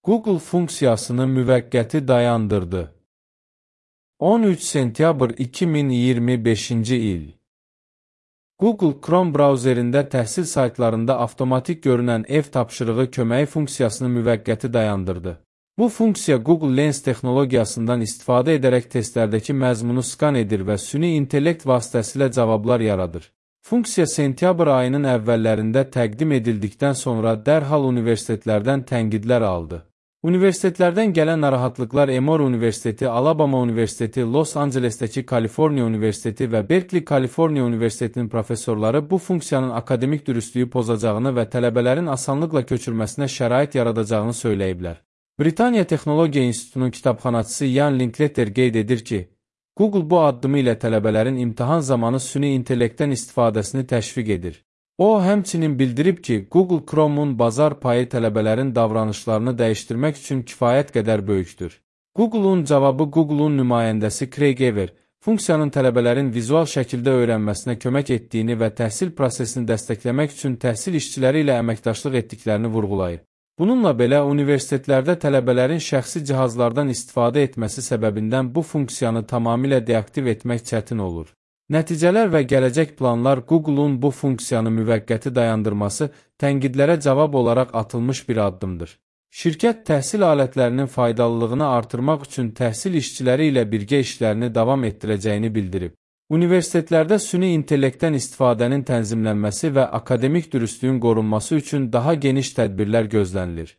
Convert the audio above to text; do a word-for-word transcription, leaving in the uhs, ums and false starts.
Google funksiyasını müvəqqəti dayandırdı. on üç sentyabr iki min iyirmi beşinci il. Google Chrome brauzerində təhsil saytlarında avtomatik görünən ev tapşırığı köməyi funksiyasını müvəqqəti dayandırdı. Bu funksiya Google Lens texnologiyasından istifadə edərək testlərdəki məzmunu skan edir və süni intellekt vasitəsilə cavablar yaradır. Funksiya sentyabr ayının əvvəllərində təqdim edildikdən sonra dərhal universitetlərdən tənqidlər aldı. Universitetlərdən gələn narahatlıqlar Emory Universiteti, Alabama Universiteti, Los Angelesdəki Kaliforniya Universiteti və Berkeley Kaliforniya Universitetinin professorları bu funksiyanın akademik dürüstlüyü pozacağını və tələbələrin asanlıqla köçürməsinə şərait yaradacağını söyləyiblər. Britaniya Texnologiya İnstitutunun kitabxanaçısı Ian Linkletter qeyd edir ki, Google bu addımı ilə tələbələrin imtahan zamanı süni intellektdən istifadəsini təşviq edir. O, həmçinin bildirib ki, Google Chrome'un bazar payı tələbələrin davranışlarını dəyişdirmək üçün kifayət qədər böyükdür. Google'un cavabı Google'un nümayəndəsi Craig Ever, funksiyanın tələbələrin vizual şəkildə öyrənməsinə kömək etdiyini və təhsil prosesini dəstəkləmək üçün təhsil işçiləri ilə əməkdaşlıq etdiklərini vurğulayır. Bununla belə, universitetlərdə tələbələrin şəxsi cihazlardan istifadə etməsi səbəbindən bu funksiyanı tamamilə deaktiv etmək çətin olur. Nəticələr və gələcək planlar Google'un bu funksiyanı müvəqqəti dayandırması tənqidlərə cavab olaraq atılmış bir addımdır. Şirkət təhsil alətlərinin faydalılığını artırmaq üçün təhsil işçiləri ilə birgə işlərini davam etdirəcəyini bildirib. Universitetlərdə süni intellektdən istifadənin tənzimlənməsi və akademik dürüstlüyün qorunması üçün daha geniş tədbirlər gözlənilir.